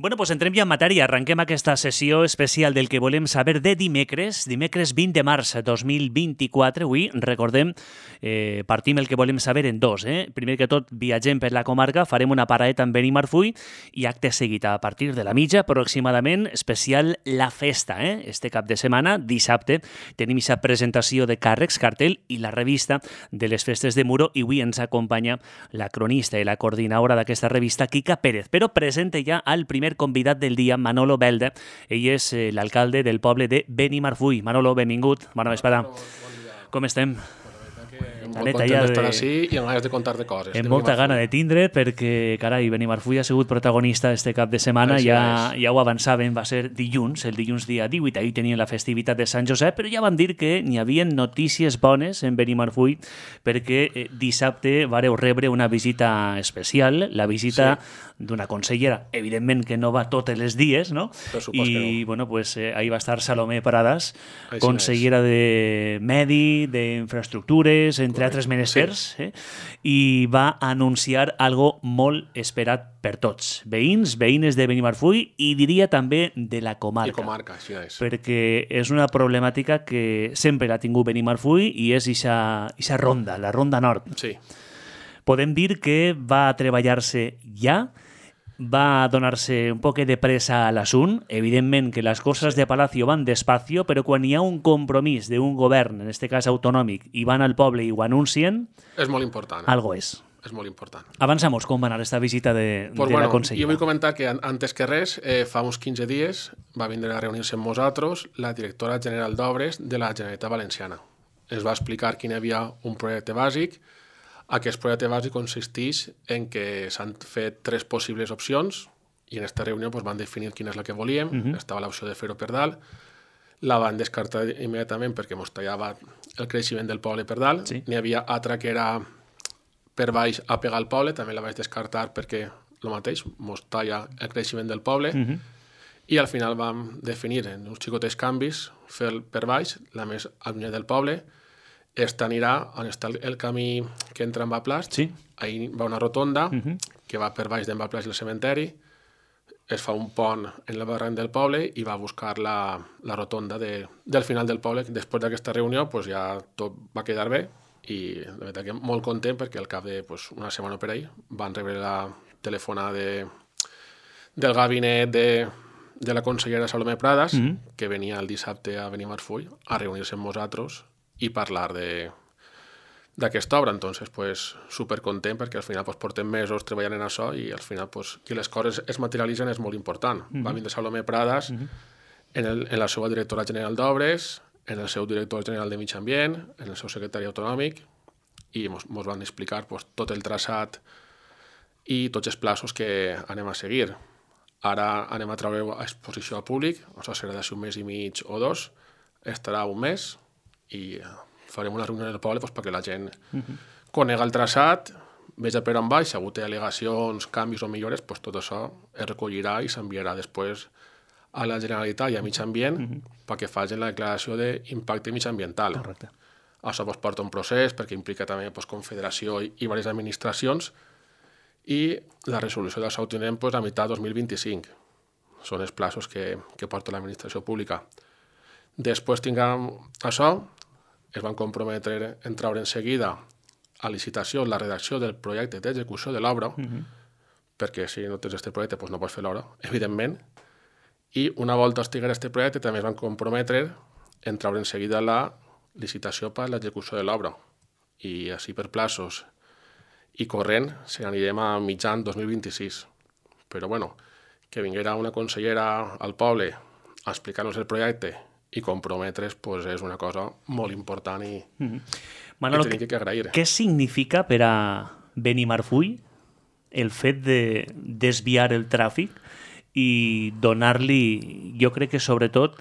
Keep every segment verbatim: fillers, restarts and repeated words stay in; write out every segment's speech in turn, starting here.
Bueno, doncs entrem ja en matèria. Arrenquem aquesta sessió especial del que volem saber de dimecres, dimecres vint de març dos mil vint-i-quatre. Avui, recordem, eh, partim el que volem saber en dos. Eh? Primer que tot, viatgem per la comarca, farem una paradeta en Benimarfull i acte seguit a partir de la mitja, aproximadament, especial La Festa. Eh? Este cap de setmana, dissabte, tenim aquesta presentació de càrrecs, cartell i la revista de les festes de Muro, i avui ens acompanya la cronista i la coordinadora d'aquesta revista, Quica Pérez. Però presenta ja al primer convidat del dia, Manolo Belda. Ell és eh, l'alcalde del poble de Benimarfull. Manolo, benvingut. Bona vesprada. Bon Com estem? Molt content d'estar així i amb ganes de contar-te coses. Amb molta gana de tindre, perquè, carai, Benimarfull ha sigut protagonista este cap de setmana, Així ja, és. ja ho avançàvem, va ser dilluns, el dilluns dia divuit, ahir tenien la festivitat de Sant Josep, però ja van dir que n'hi havia notícies bones en Benimarfull, perquè eh, dissabte vareu rebre una visita especial, la visita sí. d'una consellera, evidentment que no va totes les dies, no? Per supost I, que no. bueno, pues, eh, ahí va estar Salomé Pradas, Així consellera de Medi, d'infraestructures, entre altres menesters, sí. eh? I va anunciar algo molt esperat per tots, veïns, veïnes de Benimarfull i diria també de la comarca. I comarca, així és. Perquè és una problemàtica que sempre l'ha tingut Benimarfull i és ixa ronda, la ronda nord. Sí. Podem dir que va treballar-se ja, va donar-se un poc de pressa a l'assunt. Evidentment que les coses de Palacio van despacio, però quan hi ha un compromís d'un govern, en aquest cas autonòmic, i van al poble i ho anuncien, És molt important. algo és. És molt important. Avançamos com va anar esta visita de, Pues de bueno, la consellera. jo vull comentar que an- antes que res, eh, fa uns quinze dies va vindre a reunir-se amb nosaltres la directora general d'Obres de la Generalitat Valenciana. Ens va explicar que hi havia un projecte bàsic. Aquest projecte bàsic consisteix en que s'han fet tres possibles opcions i en aquesta reunió pues, van definir quina és la que volíem. Uh-huh. Estava l'opció de fer-ho per dalt. La van descartar immediatament perquè mos tallava el creixement del poble per dalt. Sí. N'hi havia altra que era per baix a pegar al poble, també la vaig descartar perquè el mateix, mos talla el creixement del poble. Uh-huh. I al final vam definir en uns xicotes canvis fer el per baix, la més allunyada del poble. Esta anirà on està el, el camí que entra en Baplast. Sí. Ahí va una rotonda Uh-huh. que va per baix d'en Baplast i el cementeri. Es fa un pont en el barranc del poble i va a buscar la, la rotonda de, del final del poble. Després d'aquesta reunió pues, ja tot va quedar bé i la veritat que molt content perquè al cap de pues, una setmana per ahí van rebre la telefonada de, del gabinet de, de la consellera Salomé Pradas, Uh-huh. que venia el dissabte a Benimarfull a reunir-se amb nosaltres i parlar de d'aquesta obra. Entonces, pues, supercontent perquè al final pues, portem mesos treballant en això i al final pues, que les coses es materialitzen és molt important. Uh-huh. Va vindre Salomé Pradas uh-huh. en, el, en la seva directora general d'Obres, en el seu director general de Mig Ambient, en el seu secretari autonòmic i ens van explicar pues, tot el traçat i tots els plaços que anem a seguir. Ara anem a treure a exposició al públic, això serà d'ací un mes i mig o dos, estarà un mes i farem una reunió del poble pues, perquè la gent uh-huh. conega el traçat, veja per on baix, si ha hagut al·legacions, canvis o millores, pues, tot això es recollirà i s'enviarà després a la Generalitat i a Mig Ambient uh-huh. perquè facin la declaració d'impacte mitjambiental. Correcte. Això pues, porta un procés perquè implica també pues, confederació i, i diverses administracions i la resolució d'això ho tindrem pues, a meitat dos mil vint-i-cinc. Són els plaços que, que porta l'administració pública. Després tinguem això, es van comprometre en treure en seguida a licitació la redacció del projecte d'execució de l'obra, uh-huh. perquè si no tens aquest projecte pues, no pots fer l'obra, evidentment. I una volta estigués aquest projecte també es van comprometre en treure en seguida la licitació per a l'execució de l'obra. I així per plaços i corrent se n'anirem a mitjan dos mil vint-i-sis. Però bueno, que vinguera una consellera al poble a explicar-nos el projecte i comprometre's pues, és una cosa molt important i, uh-huh. Manolo, que tenim que agrair. Què significa per a Benimarfull el fet de desviar el tràfic i donar-li, jo crec que sobretot,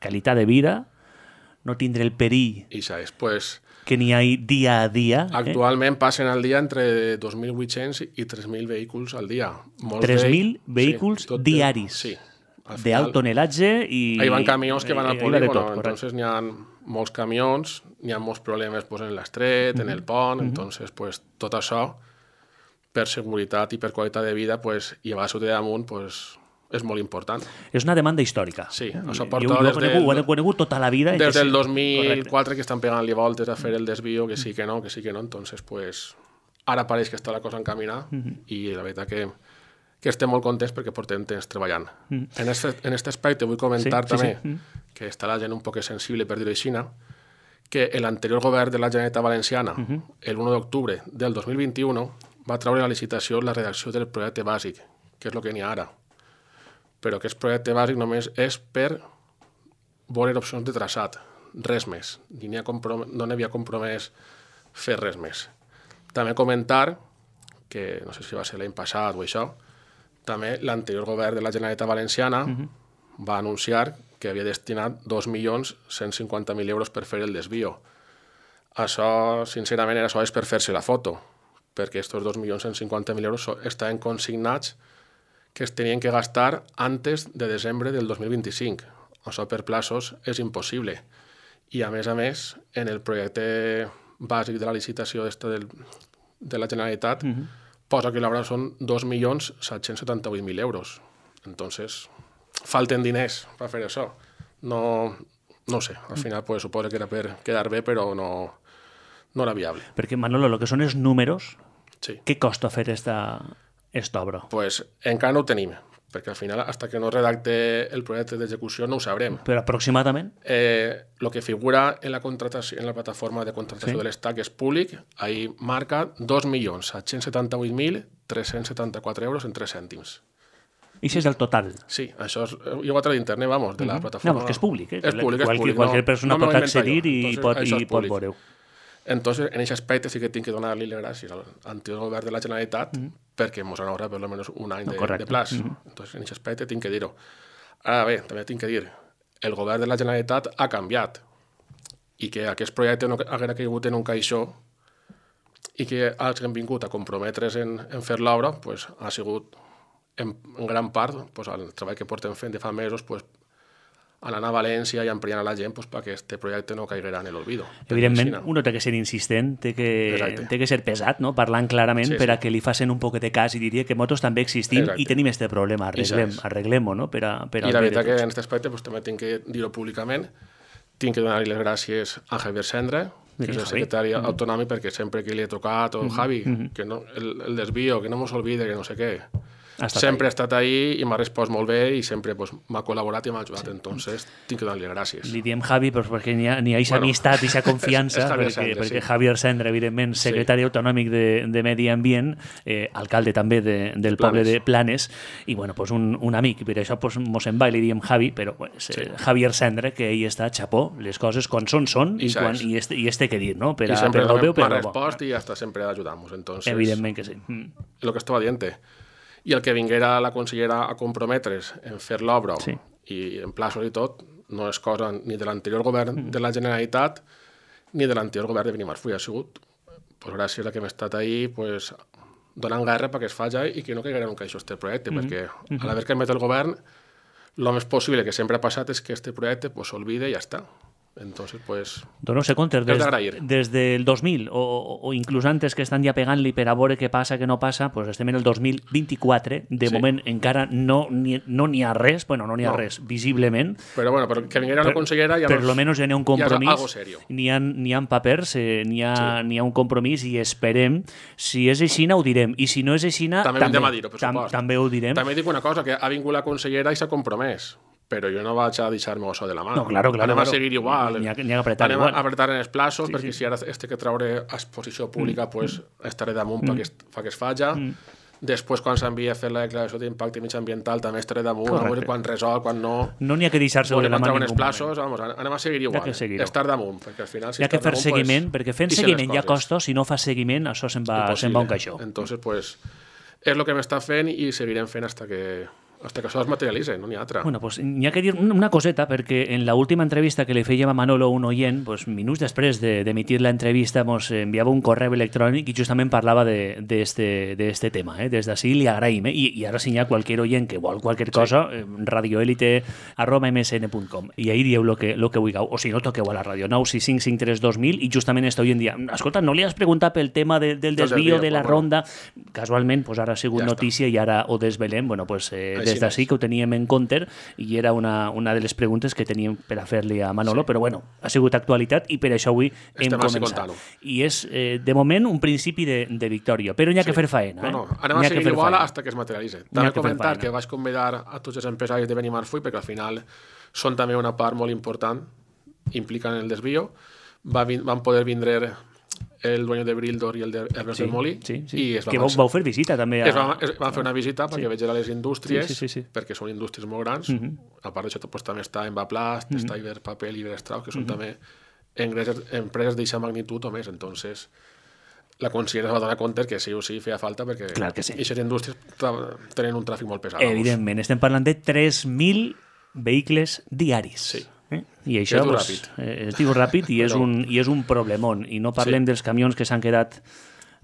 qualitat de vida, no tindre el perill I això és, pues, que n'hi ha dia a dia. actualment eh? passen al dia entre dos mil vuit-cents i tres mil vehicles al dia. Molts tres mil d'ells- vehicles sí, tot diaris. Sí. Al De final, alt tonatge i... Ahí van camions que van al eh, hi va de polígono, tot, correcte. entonces n'hi ha molts camions, n'hi ha molts problemes pues, en l'estret, uh-huh. en el pont, uh-huh. entonces pues, tot això, per seguretat i per qualitat de vida, pues, llevar-s'ho de damunt, pues, és molt important. És una demanda històrica. Sí, això jo, porta jo des ho, conegut, ho he conegut tota la vida. Des del sí, dos mil quatre correcte. que estan pegant-li voltes a fer el desvío, que sí que no, que sí que no, entonces pues ara pareix que està la cosa encaminada uh-huh. i la veritat que, que estem molt contents perquè portem temps treballant. Uh-huh. En este, en este aspecte vull comentar sí, també sí, sí. Uh-huh. que està la gent un poc sensible, per dir-ho així, que l'anterior govern de la Generalitat Valenciana, uh-huh. el u d'octubre del dos mil vint-i-u, va treure a la licitació la redacció del projecte bàsic, que és el que n'hi ha ara. Però aquest projecte bàsic només és per veure opcions de traçat, res més. Ni ha comprom- no n'havia compromès fer res més. També comentar, que no sé si va ser l'any passat o això, també l'anterior govern de la Generalitat Valenciana uh-huh. va anunciar que havia destinat dos milions cent cinquanta mil euros per fer el desvío. Això, sincerament, era això és per fer-se la foto, perquè aquests dos milions cent cinquanta mil euros estaven consignats que es tenien que gastar antes de desembre del dos mil vint-i-cinc. Això per plaços és impossible. I, a més a més, en el projecte bàsic de la licitació del, de la Generalitat uh-huh. posa que l'obra són dos milions set-cents setanta-vuit mil euros. Entonces, falten diners per fer això. No, no sé, al final pues, suposo que era per quedar bé, però no, no era viable. Perquè, Manolo, el que són els números, sí. què costa fer esta, esta obra? Pues encara no ho tenim, perquè al final, hasta que no redacte el projecte d'execució, no ho sabrem. Però aproximadament? Eh, lo que figura en la, contratació, en la plataforma de contratació sí. de l'Estat, que és públic, ahí marca dos milions set-cents setanta-vuit mil tres-cents setanta-quatre euros en tres cèntims. I això és el total? Sí, això és igual a través d'internet, vamos, de la uh-huh. plataforma. No, que és públic, eh? És públic, és Qualque, públic. Qualsevol no, persona no pot accedir i Entonces, pot, i pot veure-ho. Entonces, en aquest aspecte sí que tinc que donar-li les gràcies al anterior govern de la Generalitat uh-huh. perquè ens han ahorrat per almenys un any de, no, de plaç. Uh-huh. Entonces, en aquest aspecte tinc que dir-ho. Ara bé, també tinc que dir, el govern de la Generalitat ha canviat i que aquest projecte no haguera caigut en un caixó i que hagin vingut a comprometre's en, en fer l'obra, pues, ha sigut en, en gran part pues, el treball que portem fent de fa mesos pues, anant a València i ampliant a la gent pues, perquè aquest projecte no caiguera en l'olvido. Evidentment, uno té que ser insistent, té que, té que ser pesat, no? Parlant clarament sí, per a sí. que li facin un poc de cas i diria que motos també existim Exacte. I tenim aquest problema, arreglem, arreglem-ho, no? Per a, per I la veritat que en aquest aspecte pues, també tinc que dir-ho públicament, tinc que donar-li les gràcies a Javier Sendre, que és el secretari mm-hmm. autonòmic, perquè sempre que li he tocat, o oh, Javi, mm-hmm. que no, el, el desvío, que no mos olvide, que no sé què, sempre ha estat ahí i m'ha respost molt bé i sempre pues, m'ha col·laborat i m'ha ajudat, sí. Entonces tinc que donar-li gràcies. Li diem Javi pues, perquè n'hi ha, n'hi ha aquesta bueno, amistat i aquesta confiança, perquè, Sendre, perquè sí. Javier Sendre, evidentment, secretari sí. autonòmic de, de Medi Ambient, eh, alcalde també de, del Planes. Poble de Planes, i bueno, pues, un, un amic, per això pues, mos en va i li diem Javi, però pues, sí. eh, Javier Sendre, que ell està, xapó, les coses quan són, són, i, i, quan, i, este, i este que dir, no? Per a, I sempre per el veu, per m'ha respost i hasta sempre ajudamos, entonces... Evidentment que sí. Mm. Lo que estava dient. I el que vinguera la consellera a comprometre's en fer l'obra sí. i en plaços i tot, no és cosa ni de l'anterior govern mm. de la Generalitat ni de l'anterior govern de Benimarfull. Ha sigut, pues, gràcies a que hem estat ahí, pues, donant guerra perquè es faci i que no caiguera en un caixó este projecte, mm. perquè mm-hmm. a l'haver canviat el govern, el més possible que sempre ha passat és que este projecte pues, s'olvide i ja està. Entonces, pues... Dono se compte, des, des del dos mil o, o inclús antes que estan ja pegant-li per a veure què passa, què no passa, pues estem en el dos mil vint-i-quatre, de sí. moment encara no n'hi no ha res, bueno, no n'hi ha no. res, visiblement. Però bueno, però que vinguera la consellera ja per lo menos ja n'hi ha un compromís, ja n'hi ha, n'hi ha papers, eh, n'hi ha, sí. n'hi ha un compromís i esperem, si és aixina ho direm, i si no és aixina també, també, tam, també ho direm. També dic una cosa, que ha vingut la consellera i s'ha compromès. Però jo no vaig a deixar-me això de la mà. No, claro, claro, anem claro. a seguir igual. N'hi ha, n'hi ha apretar anem igual. a apretar en els plaços, sí, perquè sí. si ara este que traure a exposició pública, mm. pues, estaré damunt mm. perquè fa que es faci. Mm. Després, quan s'envia a fer la declaració d'impacte mitjambiental, també estaré damunt, a veure quan resol, quan no... No n'hi ha que deixar-se de la mà en ningú plaços, vamos, anem a seguir igual. Estar damunt, perquè al final... Si hi ha que fer damunt, seguiment, pues, perquè fent seguiment ja costa, si no fa seguiment, això se'n va, se'n va un caixó. Entonces, pues, és el que m'està fent i seguirem fent hasta que... hasta que això es materialitza, no n'hi ha altra. Bueno, pues n'hi ha que dir una coseta, perquè en la última entrevista que li fèiem a Manolo, un oient, pues, minuts després d'emitir de, l'entrevista, ens enviava un correu electrònic i justament parlava d'este de, de tema. Eh? Des d'ací li agraïm. Eh? I, I ara si hi ha qualsevol oient que vol qualsevol cosa, sí. eh, radioelite arroba m s n punt com. I ahí dieu lo que, lo que vulgueu. O si no, toqueu a la ràdio nou sis cinc cinc tres dos mil i justament està avui en dia. Escolta, no li has preguntat pel tema de, del desvío de la ronda? Casualment, pues, ara ha sigut ja notícia està. I ara ho desvelem. Bueno, pues, eh, des d'ací que ho teníem en compte i era una, una de les preguntes que teníem per a fer-li a Manolo, sí. Però bueno, ha sigut actualitat i per això avui hem Estem començat. I és, eh, de moment, un principi de, de victòria, però n'hi ha sí. que fer faena. Eh? No, no, anem a seguir igual fins que es materialitzi. També comentar que vaig convidar a tots els empresaris de Benimarfull perquè al final són també una part molt important, impliquen el desvío. Va, van poder vindre el dueño de Brildor i el de Herbes sí, del Molí. Sí, sí. I es que vau, vau fer visita també. A... Es van, es van fer una visita perquè sí. vegin les indústries, sí, sí, sí, sí. perquè són indústries molt grans. Uh -huh. A part d'això pues, també està Envaplast, uh -huh. està Iberpapel i Iberstrau, que són uh -huh. també empreses, empreses d'aquesta magnitud o més. Entonces, la consellera es va donar compte que sí o sí feia falta perquè aquestes sí. indústries tenen un tràfic molt pesat. Evidentment, estem parlant de tres mil vehicles diaris. Sí. Eh? I això es diu pues, ràpid. Eh, es diu ràpid i, és un, i és un problemón. I no parlem sí. dels camions que s'han quedat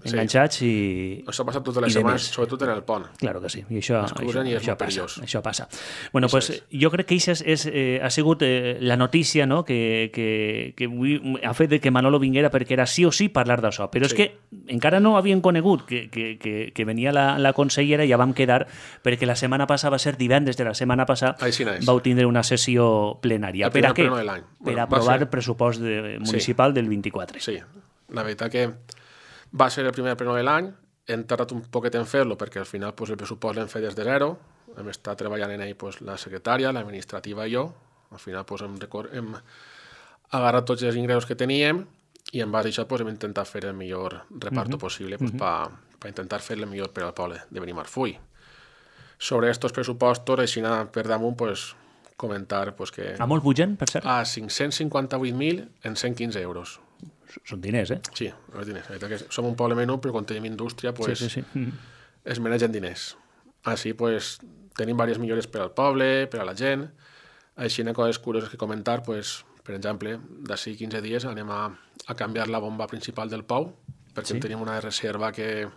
enganxats sí. i... Això passa totes les setmanes, sobretot en el pont. Claro que sí, i això, això, i això, passa, això passa. Bueno, això pues, és. Jo crec que això és, és, eh, ha sigut eh, la notícia no? que, que, que avui ha fet de que Manolo vinguera perquè era sí o sí parlar d'això, però sí. és que encara no havien conegut que, que, que, que venia la, la consellera i ja vam quedar perquè la setmana passada va ser divendres de la setmana passada sí vau tindre una sessió plenària. El per a què? De per bueno, aprovar ser... el pressupost de, municipal sí. del vint-i-quatre. Sí, la veritat que va ser el primer pleno de l'any, hem tardat un poquet en fer-lo perquè al final pues, el pressupost l'hem fet des de zero, hem estat treballant en ell pues, la secretària, l'administrativa i jo, al final pues, hem, record... hem agarrat tots els ingressos que teníem i en base a això pues, hem intentat fer el millor reparto uh-huh. possible pues, uh-huh. per pa intentar fer el millor per al poble de Benimarfull. Sobre estos pressupostos, així per damunt, pues, comentar pues, que... A molt pugen, per cert? A cinc-cents cinquanta-vuit mil en cent quinze euros. Són diners, eh? Sí, els diners. Que som un poble menú, però quan tenim indústria, pues, sí, sí, sí. Mm. es manegen diners. Així, pues, tenim diverses millores per al poble, per a la gent. Així, una coses curioses que comentar, pues, per exemple, d'ací quinze dies anem a, a canviar la bomba principal del pou, perquè sí. tenim una reserva que,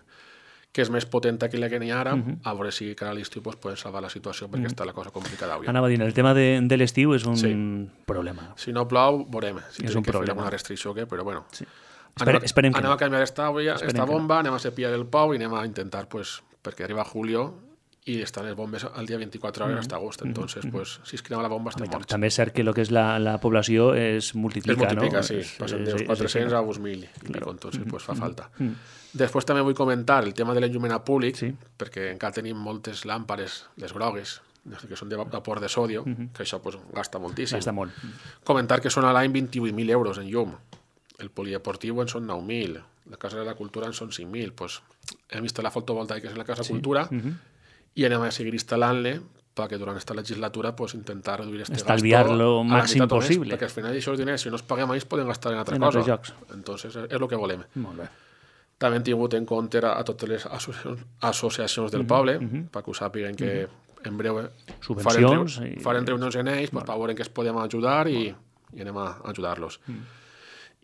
que és més potenta que la que n'hi ha ara, uh-huh. a veure si cada l'estiu pues, podem salvar la situació, perquè uh-huh. està la cosa complicada avui. Anava a dir, el tema de, de l'estiu és un sí. problema. Si no plou, veurem. Si és tenim que problema. fer alguna restricció o què, però bueno. Sí. Espere, anem, esperem anem no. a canviar esta, esta bomba, anem a cepillar el pou i anem a intentar, pues, perquè arriba julio i estan les bombes al dia vint-i-quatre hores mm-hmm. fins a agost. Entonces, mm-hmm. pues, si es crema la bomba, estem morts. També és cert que el que és la, la població es multiplica, es multiplica, no? sí. Es, Passen dels quatre-cents a uns mil. Claro. Entonces, pues, fa falta. Mm-hmm. Després també vull comentar el tema de l'enllumenat públic, sí. perquè encara tenim moltes làmpares, les grogues, que són de vapor de sodio, mm-hmm. que això pues, gasta moltíssim. Gasta molt. Comentar que són a l'any vint-i-vuit mil euros en llum. El polideportiu en són nou mil. La Casa de la Cultura en són cinc mil. Pues, hem vist la fotovoltaica en la Casa sí. Cultura mm-hmm. i anem a seguir instal·lant-le perquè durant aquesta legislatura pues, intentar reduir este gasto estalviar-lo màxim possible. Més, perquè al final això els diners, si no els paguem ells, poden gastar en altra en cosa. Jocs. Entonces, és el que volem. Molt bé. També hem tingut en compte a, a totes les associacions, associacions del mm-hmm. poble, mm-hmm. perquè ho sàpiguen que mm-hmm. en breu subvencions farem, i... farem reunions en ells pues, per veure en què es podem ajudar i, i anem a ajudar-los. Mm.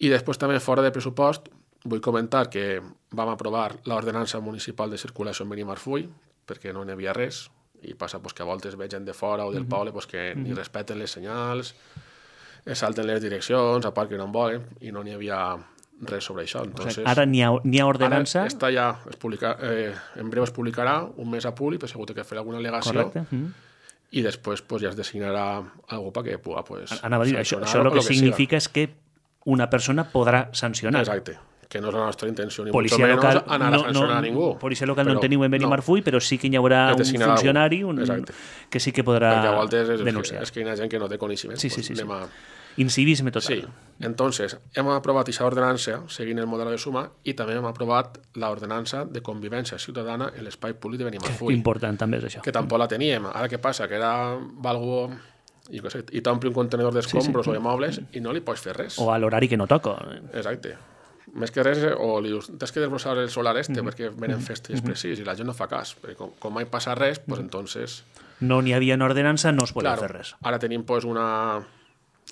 I després també fora de pressupost vull comentar que vam aprovar l'ordenança municipal de circulació en Benimarfull perquè no n'hi havia res i passa pues, que a voltes veig gent de fora o del mm-hmm. poble pues, que mm-hmm. ni respecten les senyals, es salten les direccions, a part que no en volen i no n'hi havia res sobre això. Entonces, o sea, ara n'hi ha, n'hi ha ordenança? Ara està ja, es publica, eh, en breu es publicarà un mes a públic, però segur que fer alguna al·legació. Correcte. Mm-hmm. I després pues, ja es designarà algú perquè pugui pues, anava a dir, això, això el que, que significa és que una persona podrà sancionar. Exacte, que no és la nostra intenció ni policia mucho local, menos anar no, a sancionar no, a ningú. Policia local però, no en teniu en Benimarfull, no. però sí que hi haurà un funcionari un, que sí que podrà és, denunciar. És que hi ha gent que no té coneixement. Sí, sí, sí. Pues, sí. a... Incivisme total. Sí, entonces hem aprovat aquesta ordenança seguint el model de suma i també hem aprovat l'ordenança de convivència ciutadana en l'espai públic de Benimarfull. Important també és això. Que tampoc la teníem. Ara què passa? Que era algo... I, sé, i t'ompli un contenedor d'escombros sí, sí. o de mobles i no li pots fer res. O a l'horari que no toca. Exacte. Més que res, o li dius, tens que desbrossar el solar este mm-hmm. perquè venen festes mm-hmm. precís i la gent no fa cas. Perquè com, com mai passa res, pues, entonces... No n'hi havia una ordenança, no es podia claro, fer res. Ara tenim pues, una,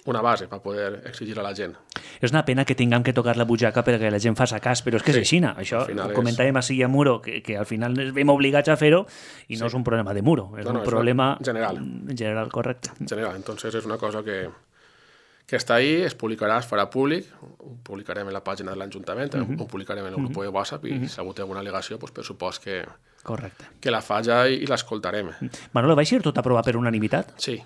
una base per poder exigir a la gent. És una pena que tinguem que tocar la butxaca perquè la gent faci cas, però és que sí, és així. Això ho comentàvem és... així a Muro, que, que al final ens veiem obligats a fer-ho i no sí. és un problema de Muro, és no, no, un és problema general. general, correcte. General, entonces és una cosa que, que està ahí, es publicarà, es farà públic, ho publicarem en la pàgina de l'Ajuntament, uh-huh. ho publicarem en el grup uh-huh. de WhatsApp i uh-huh. si algú té alguna al·legació, pues, per supost que, Correcte. que la fa ja i, i l'escoltarem. Manolo, va ser tot aprovat per unanimitat? Sí,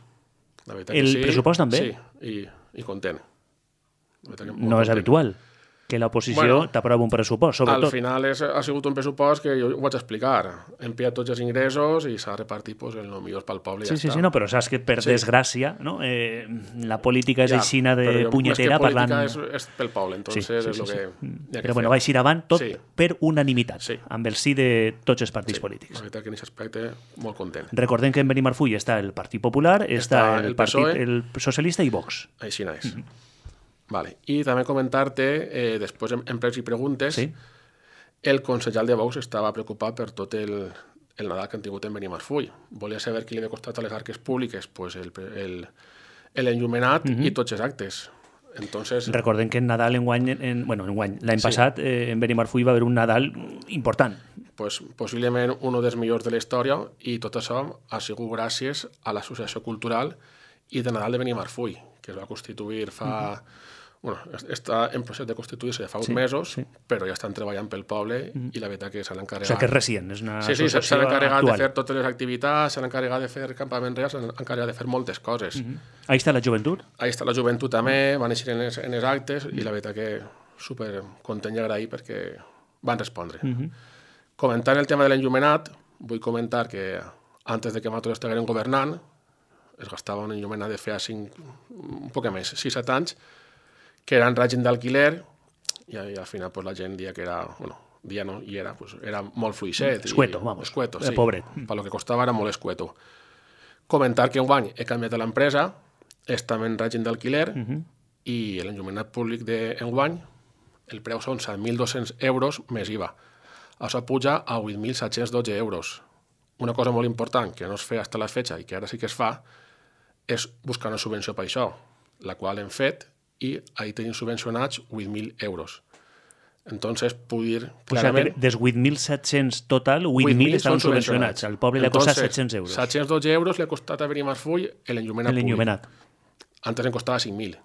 la veritat El que sí. pressupost també? Sí, i, i content. La veritat que molt No és content. habitual que l'oposició Bueno, t'aprova un pressupost, Al sobretot. final és, ha sigut un pressupost que jo ho vaig explicar. Hem pillat tots els ingressos i s'ha repartit pues, el millor pel poble i Sí, ja sí, està. sí, no, però saps que per Sí. desgràcia no? eh, la política és Ja, aixina de però jo, punyetera més que política parlant... és, és pel poble, entonces sí, sí, és sí, el sí. que hi ha que Però bueno, fer. va eixir avant tot Sí. per unanimitat, Sí. amb el sí de tots els partits Sí, polítics. la veritat que en aquest aspecte molt content. Recordem que en Benimarfull està el Partit Popular, està, Està el, el Partit PSOE. el Socialista i Vox. Així és. Mm -hmm. Vale. I també comentar-te, eh, després en, en pregs i preguntes, Sí. el consellal de Vox estava preocupat per tot el, el Nadal que han tingut en Benimarfull. Volia saber qui li havia costat a les arques públiques pues el, el, l'enllumenat mm -hmm. i tots els actes. Entonces, Recordem que en Nadal, enguany, en, bueno, enguany, l'any Sí. passat, eh, en Benimarfull va haver un Nadal important. pues, possiblement un dels millors de la història, i tot això ha sigut gràcies a l'Associació Cultural i de Nadal de Benimarfull, que es va constituir fa... Mm -hmm. bueno, està en procés de constituir-se ja fa uns Sí, mesos, sí. però ja estan treballant pel poble mm -hmm. i la veritat que s'han O encarregat... sigui que és recient, és una Sí, sí, associació s'han encarregat actual. de fer totes les activitats, s'han encarregat de fer campaments reals, s'han encarregat de fer moltes coses. Mm -hmm. Ahí està la joventut. Ahí està la joventut també, van eixir en els, en els actes i la veritat que super content i agraït perquè van respondre. Mm -hmm. Comentant el tema de l'enllumenat, vull comentar que antes de que nosaltres estiguem governant, es gastava un enllumenat de feia cinc, un poc més, sis set anys, que era en règim d'alquiler, i, i al final pues, la gent dia que era, bueno, dia no, i era, pues, era molt fluixet. Escueto, i, vamos. Escueto, Era sí. pobret. Per lo que costava era molt escueto. Comentar que enguany he canviat de l'empresa, estem en règim d'alquiler, uh -huh. i l'enllumenat públic d'enguany, el preu són set mil dos-cents euros més I V A. Això puja a vuit mil set-cents dotze euros. Una cosa molt important que no es feia fins a la fetxa i que ara sí que es fa és buscar una subvenció per això, la qual hem fet i ahí tenim subvencionats vuit mil euros. Entonces, puc dir O sigui, clarament... dels vuit mil set-cents total, vuit mil estaven subvencionats. Al poble li ha costat set-cents euros. set-cents dotze euros li ha costat a Benimarfull l'enllumenat públic. L'enllumenat. Antes en costava cinc mil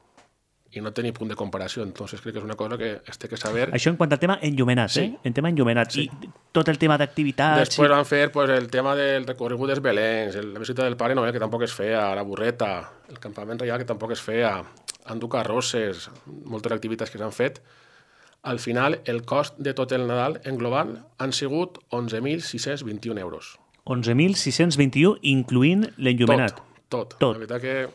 i no tenia punt de comparació, entonces crec que és una cosa que es té que saber. Això en quant al tema enllumenat, Sí. eh? En tema enllumenat. Sí. I tot el tema d'activitats... Després i... van fer pues, el tema del recorregut dels Belens, el- la visita del Pare Noel, que tampoc es feia, la burreta, el campament reial, que tampoc es feia, endur carrosses, moltes activitats que s'han fet. Al final, el cost de tot el Nadal en global han sigut onze mil sis-cents vint-i-un euros. onze mil sis-cents vint-i-un, incloent l'enllumenat. Tot, tot. Tot. La veritat que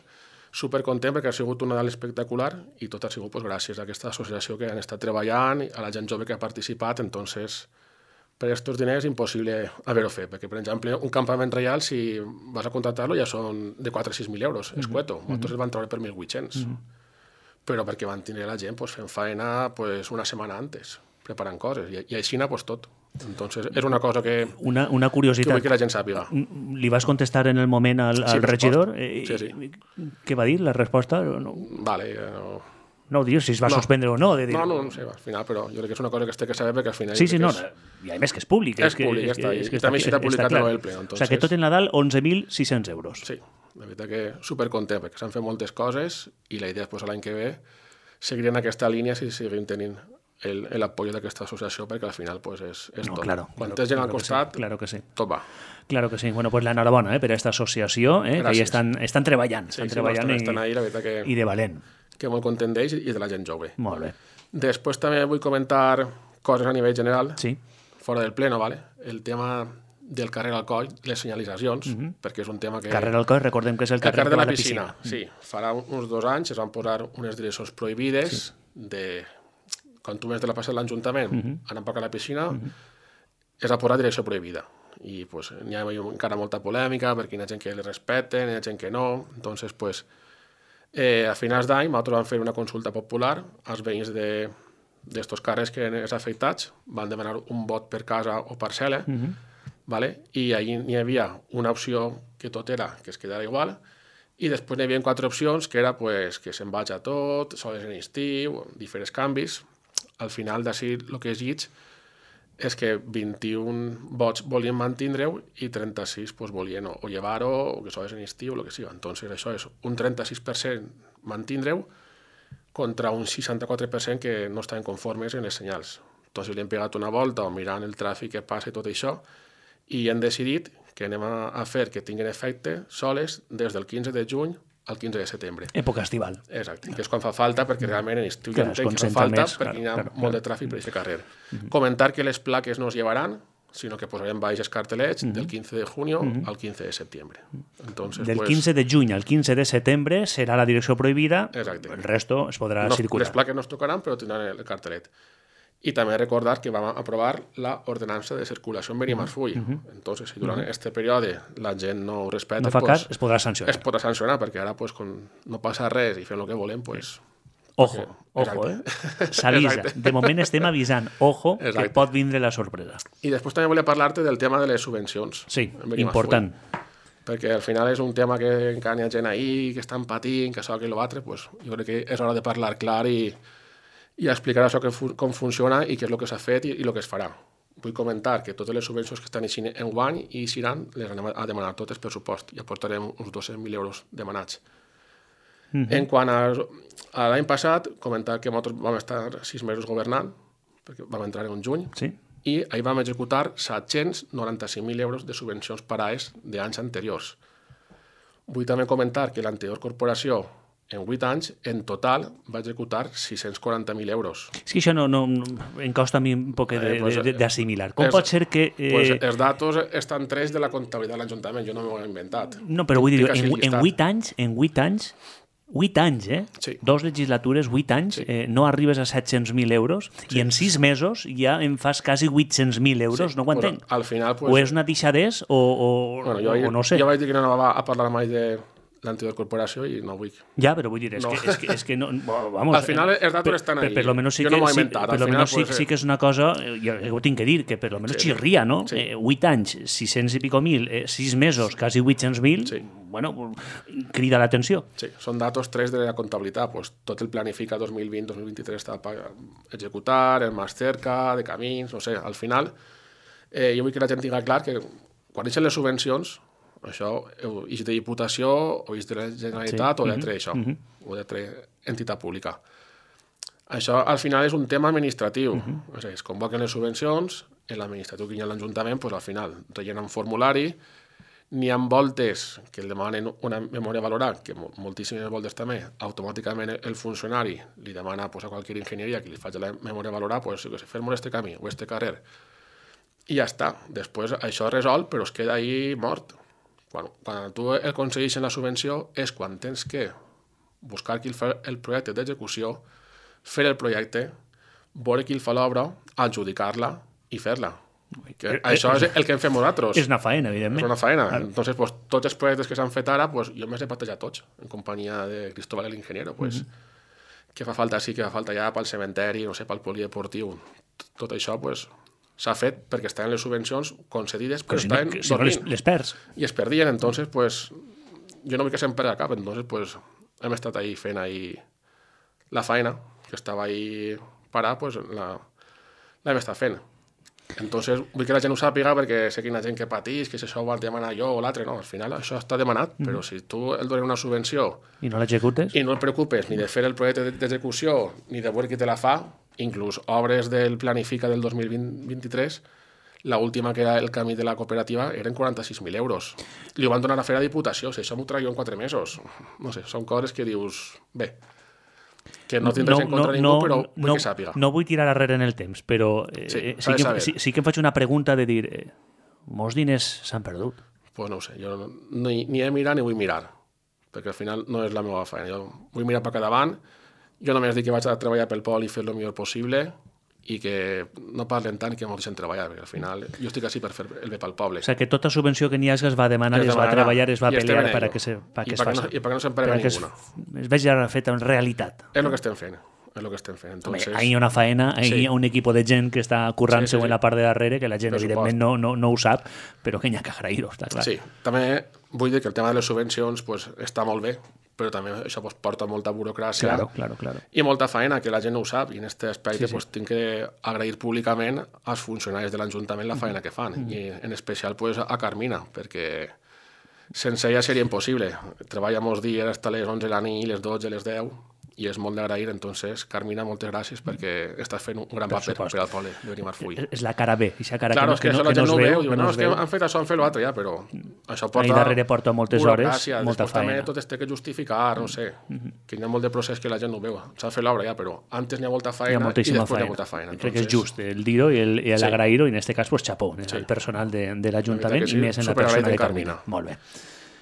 supercontent perquè ha sigut un Nadal espectacular i tot ha sigut pues, gràcies a aquesta associació que han estat treballant, a la gent jove que ha participat, entonces per aquests diners és impossible haver-ho fet, perquè per exemple un campament reial si vas a contractar-lo ja són de quatre a sis mil euros, escueto, mm -hmm. nosaltres el van treure per mil vuit-cents, mm -hmm. però perquè van tenir la gent pues, fent feina pues, una setmana antes, preparant coses, i, i així pues, tot. Entonces és una cosa que, Una, una que curiositat. vull que la gent sàpiga. Li vas contestar en el moment al, al Sí, regidor? resposta. Eh, Sí, sí. Què va dir, la resposta? No, Vale, eh, no, no ho dius, si es va No. suspendre o no. De dir... no, no, no sé, al final, però jo crec que és una cosa que es té que saber perquè al final... Sí, jo sí, crec no, que és- i a més que és públic. És que, públic, ja que- està, i- és que i també està- està està publicat clar. en el ple, O sigui entonces- que tot el Nadal, onze mil sis-cents euros. Sí, la veritat que supercontent perquè s'han fet moltes coses i la idea és pues, l'any que ve seguir en aquesta línia si seguim tenint l'apoyo d'aquesta associació perquè al final pues, és, és No, tot. claro, Quan claro, tens gent al claro que sí, costat, claro que sí. tot va. Claro que sí. Bueno, pues l'enhorabona eh, per aquesta associació, eh, que Gràcies. hi estan, estan treballant, Sí, estan sí, treballant no, i, estan, estan ahí, la veritat que, i de valent. que molt content d'ells i de la gent jove. Molt bé. Després també vull comentar coses a nivell general, Sí. fora del pleno, ¿vale? El tema del carrer Alcoi, les senyalitzacions, uh -huh. perquè és un tema que... Carrer Alcoi, recordem que és el El carrer, carrer de la va piscina, sí. Farà uns dos anys es van posar unes direccions prohibides sí. de... Quan tu vens de la plaça de l'Ajuntament, uh -huh. anant per a la piscina, uh -huh. es va posar direcció prohibida. I pues, n'hi ha encara molta polèmica, perquè hi ha gent que li respecten, hi ha gent que no. Entonces, pues, eh, a finals d'any nosaltres vam fer una consulta popular als veïns de d'estos carrers que els afectats van demanar un vot per casa o parcel·la, uh -huh. ¿vale? I allí n'hi havia una opció que tot era que es quedara igual, i després n'hi havia quatre opcions que era pues, que se'n vaig a tot, sols en estiu, diferents canvis. Al final d'ací el que és llits és que vint-i-un vots volien mantindre-ho i trenta-sis pues, volien o, o llevar-ho o que sols en estiu o el que sigui. Entonces això és un trenta-sis per cent mantindre-ho contra un seixanta-quatre per cent que no estaven conformes en els senyals. Entonces li hem pegat una volta o mirant el tràfic que passa i tot això i hem decidit que anem a, a fer que tinguin efecte soles des del quinze de juny al quinze de setembre. Època estival. Exacte, que és quan fa falta, perquè realment en estiu ja Clar, es entenc que fa concentra falta, més, perquè clar, hi ha clar, molt clar. de tràfic per aquest carrer. Comentar que les plaques no es llevaran, sino que posarem baixes cartelets del quinze de junio al quince de septiembre. Entonces, Del pues, quince de juny al quince de setembre serà la direcció prohibida, Exacte. el resto es podrà no, circular. les plaques no es tocaran, però tindran el cartelet. I també recordar que vam aprovar la ordenança de circulació en Benimarfull. Entonces, si durant este període la gent no ho respecta, No fa pues, cas, es podrà sancionar. es podrà sancionar, perquè ara pues, quan no passa res i fem el que volem, pues, Ojo, Perquè- ojo, Exacte. eh? S'avisa. Exacte. De moment estem avisant. Ojo, Exacte. que pot vindre la sorpresa. I després també volia parlar-te del tema de les subvencions. Sí, en Benimarfull. important. Perquè al final és un tema que encara hi ha gent ahí, que estan patint, que això, que l'altre, pues, jo crec que és hora de parlar clar i, i explicar això que fu com funciona i què és el que s'ha fet i, i el que es farà. Vull comentar que totes les subvencions que estan eixint en guany i eixiran les anem a demanar totes pressupost i aportarem uns dos-cents mil euros demanats. Mm -hmm. En quant a, a l'any passat, comentar que nosaltres vam estar sis mesos governant, perquè vam entrar en juny, Sí. i ahir vam executar set-cents noranta-cinc mil euros de subvencions per a es d'anys anteriors. Vull també comentar que l'anterior corporació, en vuit anys, en total, va executar sis-cents quaranta mil euros. És que això no, no, no em costa a mi un poc Eh, pues, d'assimilar. Com és- pot ser que... Eh, Pues els datos estan tres de la comptabilitat de l'Ajuntament, jo no m'ho he inventat. no, però vull dir, Tinc en, així en llistat. vuit anys, en vuit anys, vuit anys, eh? Sí. Dos legislatures, vuit anys, Sí. eh, no arribes a set-cents mil euros i en sis mesos ja em fas quasi vuit-cents mil euros, Sí, no ho pues, entenc. al final, pues, O és una deixadès o, o, bueno, jo, o no sé. jo vaig dir que no anava a parlar mai de l'anterior corporació i no vull. Ja, però vull dir, és, No. que, és, que, és que no... Bueno, vamos, Al final els datos per, estan per, ahí. per lo menos sí Jo que, no m'ho he sí, inventat. per Al lo final, menos sí, pues, sí que és una cosa, eh, jo, jo ho tinc que dir, que per lo menos Sí. xirria, no? Sí. Eh, vuit anys, sis-cents i pico mil, eh, sis mesos, quasi vuit-cents mil, Sí. bueno, crida l'atenció. Sí, són datos tres de la comptabilitat. Pues, tot el Planifica dos mil vint dos mil vint-i-tres està a executar, el Más Cerca, de camins, no sé, al final eh, jo vull que la gent tinga clar que quan eixen les subvencions, això és de Diputació o és de la Generalitat Sí. o d'altre això, o d'altre entitat pública. Això al final és un tema administratiu. O sigui, es convoquen les subvencions, en l'administratiu que hi ha a l'Ajuntament, pues, al final rellenen un formulari, n'hi ha voltes que el demanen una memòria valorar, que mo- moltíssimes voltes també, automàticament el funcionari li demana pues, a qualsevol enginyeria que li faci la memòria valorar, pues, que se fem este camí o este carrer. I ja està. Després això es resol, però es queda ahí mort. Quan, quan tu aconsegueixes la subvenció és quan tens que buscar qui el fa el projecte d'execució, fer el projecte, veure qui el fa l'obra, adjudicar-la i fer-la. Que Eh, això eh, és el que hem fet nosaltres. És una faena, És evidentment. una feina. Entonces, pues, tots els projectes que s'han fet ara, pues, jo m'he patejat tots, en companyia de Cristóbal el Ingeniero. Pues, que fa falta sí, que fa falta ja pel cementeri, no sé, pel polideportiu. Tot això, pues, s'ha fet perquè estaven les subvencions concedides, però Però si no, estaven que- si no les, dormint. les perds. I es perdien, entonces, pues, jo no vull que se'm perdi el cap, entonces, pues, hem estat ahí fent ahí la feina, que estava ahí parar, pues, la, l'hem estat fent. Entonces, vull que la gent ho sàpiga perquè sé que hi ha gent que patís, que si això ho has de demanar jo o l'altre, no, al final això està demanat, però si tu el dones una subvenció I no l'executes? i no et preocupes ni de fer el projecte d'execució ni de veure qui te la fa, inclús obres del Planifica del dos mil vint-i-tres, la última que era el camí de la cooperativa eren quaranta-sis mil euros. Li ho van donar a fer a Diputació, si això m'ho traio en quatre mesos. No sé, són coses que dius, bé, que no tindràs en contra ningú, però vull no, que sàpiga. No vull tirar arrere en el temps, però eh, Sí, sí, s'ha de que, saber. sí, sí que em faig una pregunta de dir, eh, molts diners s'han perdut. Pues no ho sé, jo no, ni, ni he mirat ni vull mirar, perquè al final no és la meva feina. Jo vull mirar per cada davant, jo només dic que vaig a treballar pel poble i fer el millor possible i que no parlen tant i que m'ho deixen treballar, perquè al final jo estic així per fer el bé pel poble. O sigui, que tota subvenció que n'hi hagi es va demanar, es, Es va demanarà, treballar, es va i estem pelear en per a ello. que, se, pa I que es perquè no- faci. i perquè no se'n perdi Perquè es, ninguna. es vegi feta en realitat. És el que estem fent, és el que estem fent. Home, Entonces, ahí hi ha una faena, ahí Sí. hi ha un equip de gent que està currant-se Sí, sí, sí. en la part de darrere, que la gent, Per evidentment, supost. no, no, no ho sap, però que n'hi ha que agrair-ho, està clar. sí, també vull dir que el tema de les subvencions pues, està molt bé, però també això pues, porta molta burocràcia Claro, claro, claro. i molta feina, que la gent no ho sap, i en aquest aspecte Sí, sí. Pues, tinc que agrair públicament als funcionaris de l'Ajuntament la feina que fan, i en especial pues, a Carmina, perquè sense ella seria impossible. Treballa molts dies fins les onze de la nit, les dotze, les deu, i és molt d'agrair. Entonces, Carmina, moltes gràcies perquè estàs fent un gran Per paper supost. per al poble de Benimarfull. És la cara B, aquesta cara Claro, que, és que, no, això que la no gent es no ho veu. veu, diu, que no, no és es que veu. han fet això, han fet l'altre, ja, però això porta... Ahí darrere porta moltes hores, burocràcia, molta després també feina. tot es té que justificar, no sé, que hi ha molt de procés que la gent no ho veu. S'ha fet l'obra ja, però antes n'hi ha molta Hi ha feina i moltíssima després feina. hi ha molta feina. Crec que és Entonces, just el dir-ho i el- i Sí. l'agrair-ho, i en aquest cas, pues, xapó, Sí. el personal de, de La l'Ajuntament veritat que i sí, més en la superagraït persona de en Carmina. Carmina. Molt bé.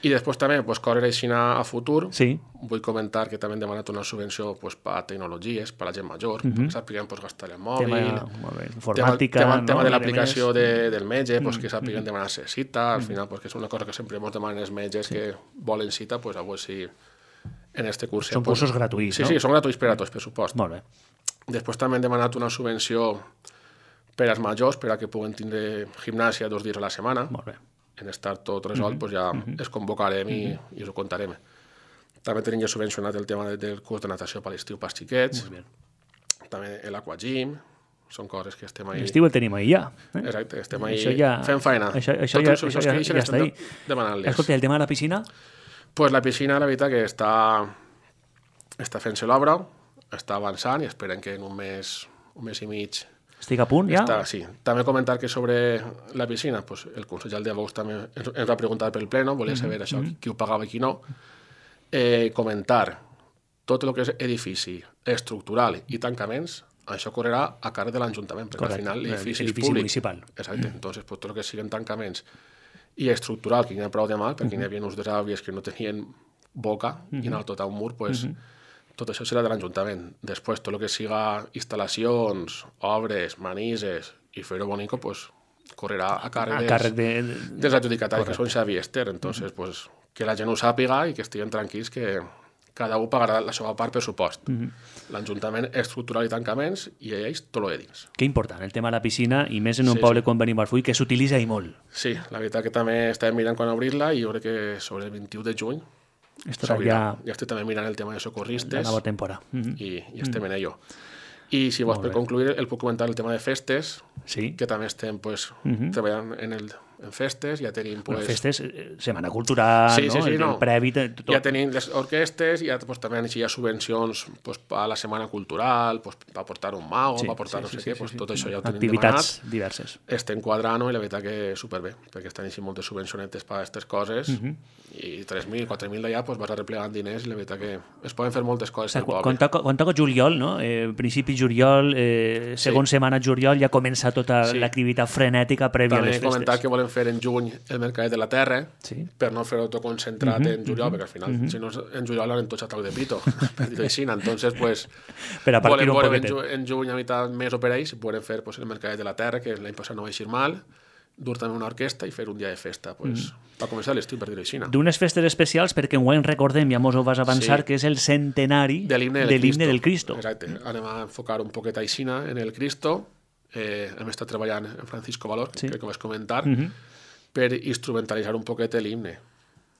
I després també, pues, coses així a futur. Sí. Vull comentar que també hem demanat una subvenció pues, per a tecnologies, per a la gent major, uh -huh. perquè sàpiguen pues, gastar el mòbil, Tema, molt bé, tema, informàtica, tema, no? tema de A l'aplicació més, de, del metge, pues, que sàpiguen demanar-se cita, al final, pues, que és una cosa que sempre ens demanen els metges que volen cita, pues, a veure si en este curs... Són pues, cursos gratuïts, sí, no? Sí, són gratuïts per a tots, per supost. Molt bé. Després també hem demanat una subvenció per als majors, per a que puguen tindre gimnàsia dos dies a la setmana. Molt bé. En estar tot resolt, mm -hmm. pues ja mm -hmm. es convocarem i, mm -hmm. i us ho contarem. També tenim ja subvencionat el tema de, del curs de natació per l'estiu pels xiquets. Molt bé. També l'Aquagym. Són coses que estem ahí... L'estiu el tenim ahí ja. Eh? Exacte, estem ahí Això ja- fent feina. Això, això, Totes ja, les això subvencions ja, que ixen ja estem està ahí. de- demanant-les. Escolta, el tema de la piscina? Pues la piscina, la veritat, que està, està fent-se l'obra, està avançant i esperem que en un mes, un mes i mig Estic a punt, ja? Està, sí. També comentar que sobre la piscina, pues, el consell de Vox també ens, ens va preguntar pel pleno, volia saber això, qui, qui ho pagava i qui no. Eh, comentar tot el que és edifici estructural i tancaments, això correrà a càrrec de l'Ajuntament, perquè Correcte. al final l'edifici és Edifici públic. municipal. Exacte. Entonces, pues, tot el que siguin tancaments i estructural, que hi ha prou de mal, perquè hi havia uns desàvies que no tenien boca i anava tot a un mur, pues, tot això serà de l'Ajuntament. Després, tot el que siga instal·lacions, obres, manises i fer-ho bonico, pues, correrà a càrrec, A dels, càrrec de... dels adjudicataris, que són Xavi i Esther. Entonces, pues, que la gent ho sàpiga i que estiguin tranquils que cada un pagarà la seva part per supost. L'Ajuntament estructural i tancaments i ells tot lo de dins. Que important, el tema de la piscina, i més en un Sí, poble sí. com Benimarfull, que s'utilitza i molt. Sí, la veritat que també estem mirant quan obrir-la i jo crec que sobre el vint-i-u de juny Estarà s'obrirà. ja Ja estic també mirant el tema de la socorristes nova temporada. Mhm. i, i estem en ello. I si vols per concluir, el puc comentar el tema de festes, Sí. que també estem pues, treballant en, el, en festes, ja tenim pues, Bueno, festes, eh, setmana cultural, Sí, no? sí, sí, el, no. el previ, tot. ja tenim les orquestes, ja pues, també hi ha subvencions pues, a la setmana cultural, pues, per portar un mago, Sí, per portar sí, no sí, sé sí, què, sí, pues, sí. tot això ja ho tenim Activitats demanat. diverses. Estem quadrant-ho i la veritat que superbé, perquè estan així moltes subvencionetes per a aquestes coses i tres mil, quatre mil d'allà pues, vas arreplegant diners i la veritat que es poden fer moltes coses O sigui, al quan, poble. quan, toca, quan toca juliol, no? eh, principi juliol, eh, segon setmana juliol, ja comença tota Sí. l'activitat frenètica prèvia a També les he festes. comentat que volem fer en juny el Mercadet de la Terra, Sí. per no fer-ho tot concentrat en juliol, perquè al final, si no és en juliol, han tots a toc de pito, per dir-ho així. Entonces, pues, Per a partir volem un veure en, poquetet. ju en juny a mitad mes o per ahí, si podem fer pues, el Mercadet de la Terra, que l'any passat no va eixir mal, dur també una orquestra i fer un dia de festa, pues, per començar l'estiu, per dir-ho així. D'unes festes especials, perquè enguany recordem, ja mos ho vas avançar, Sí. que és el centenari De l'himne de del, l'himne del Cristo. Exacte. Anem a enfocar un poquet aixina en el Cristo. Eh, hem estat treballant en Francisco Valor, que Sí. crec que vas comentar, Mhm. per instrumentalitzar un poquet l'himne,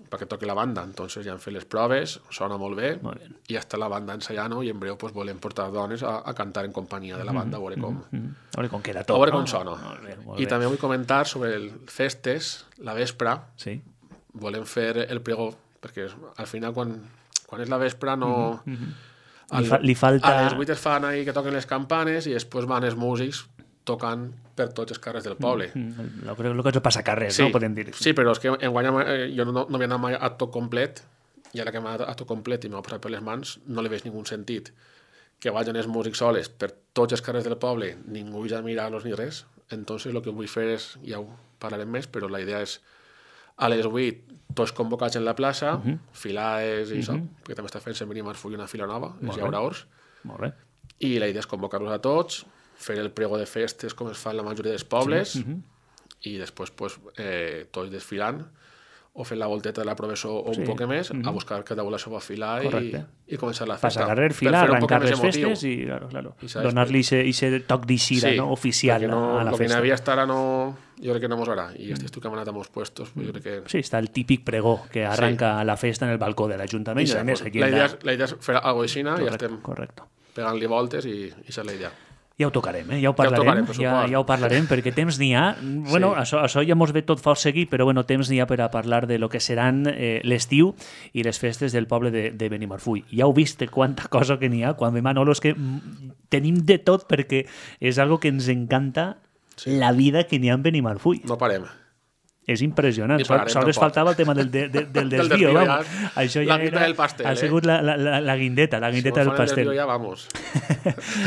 perquè toqui la banda. Entonces ja han fet les proves, sona molt bé, Molt bé. i ja està la banda ensaiant i en breu pues, volem portar dones a, a cantar en companyia de la banda, a veure com, Mm. A veure com queda a tot. veure no? com sona. Molt bé, molt I bé. també vull comentar sobre el festes, la vespre, Sí. volem fer el pregó, perquè al final quan, quan és la vespre no... Li fa- li falta- A les vuit es fan ahí que toquen les campanes i després van els músics tocant per tots els carrers del poble. Mm, el, el que ens passa a carrer, Sí, no? Podem dir. sí, però és que enguany eh, jo no, no havia anat mai a tot complet i ara que m'ha anat a tot complet i m'ha posat per les mans no li veig ningú sentit que vagin els músics soles per tots els carrers del poble, ningú ja mirar-los ni res. Entonces el que vull fer és, ja ho parlarem més, però la idea és a les vuit tots convocats en la plaça, uh -huh. filades i uh -huh. això, perquè també està fent-se venir a Marfull una fila nova, Molt els bé. llauraors, Molt bé. i la idea és convocar-los a tots, fer el prego de festes com es fa en la majoria dels pobles, Sí, uh -huh. i després pues, eh, tots desfilant o fent la volteta de la professor o un Sí. poc més, a buscar cada un la seva fila i, Correcte. i començar la festa. Passar carrer, Per fila, fer-ho un poc arrencar més les emotiu. festes i, claro, claro, I saps, donar-li ese toc d'eixida, no? Oficial perquè no, a la el que festa. n'havia estar ara no, jo crec que no mos agrada, i estic tu que hem anat a molts puestos, pues jo crec que... Sí, està el típic pregó que arranca la festa en el balcó de l'Ajuntament i, I a més, pues, aquí la, en idea és, la idea és fer alguna cosa així, i ja Correcte, estem correcte. pegant-li voltes i, i això és la idea. Ja ho tocarem, eh? ja ho parlarem, ja, ja, ja ho parlarem, perquè temps n'hi ha. Bueno, sí. això, això ja mos ve tot fort seguit, però bueno, temps n'hi ha per a parlar de lo que seran eh, l'estiu i les festes del poble de, de Benimarfull. Ja heu vist quanta cosa que n'hi ha, quan ve Manolo, és que tenim de tot perquè és algo que ens encanta, sí. La vida que n'hi ha en Benimarfull. No parem. És impressionant. Sols faltava el tema del, de, de, del desvío. del ja, Això ja la era, del pastel, ha sigut eh? la, la, la guindeta, la guindeta si del pastel. Ja vamos.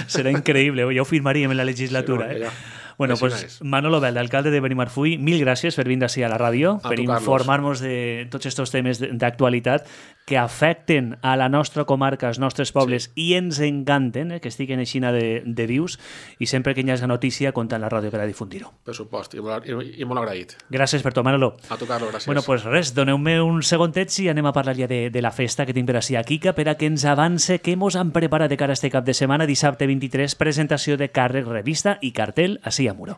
Serà increïble, ja ho firmaríem en la legislatura. Sí, no, eh? Bueno, pues nice. Manolo Belda, alcalde de Benimarfull, mil gràcies per vindre així a la ràdio, a per informar-nos de tots aquests temes d'actualitat que afecten a la nostra comarca, als nostres pobles, sí. I ens encanten, eh, que estiguen així de, de vius, i sempre que hi hagi notícia, compta en la ràdio per a difundir-ho. Per supost, i molt, i, i molt agraït. Gràcies per tot, Manolo. A tu, Carlos, gràcies. Bueno, pues res, doneu-me un segontet i anem a parlar ja de, de la festa que tinc per així a Quica, per a que ens avance què mos han preparat de cara a este cap de setmana, dissabte vint-i-tres, presentació de càrrec, revista i cartel així a Muro.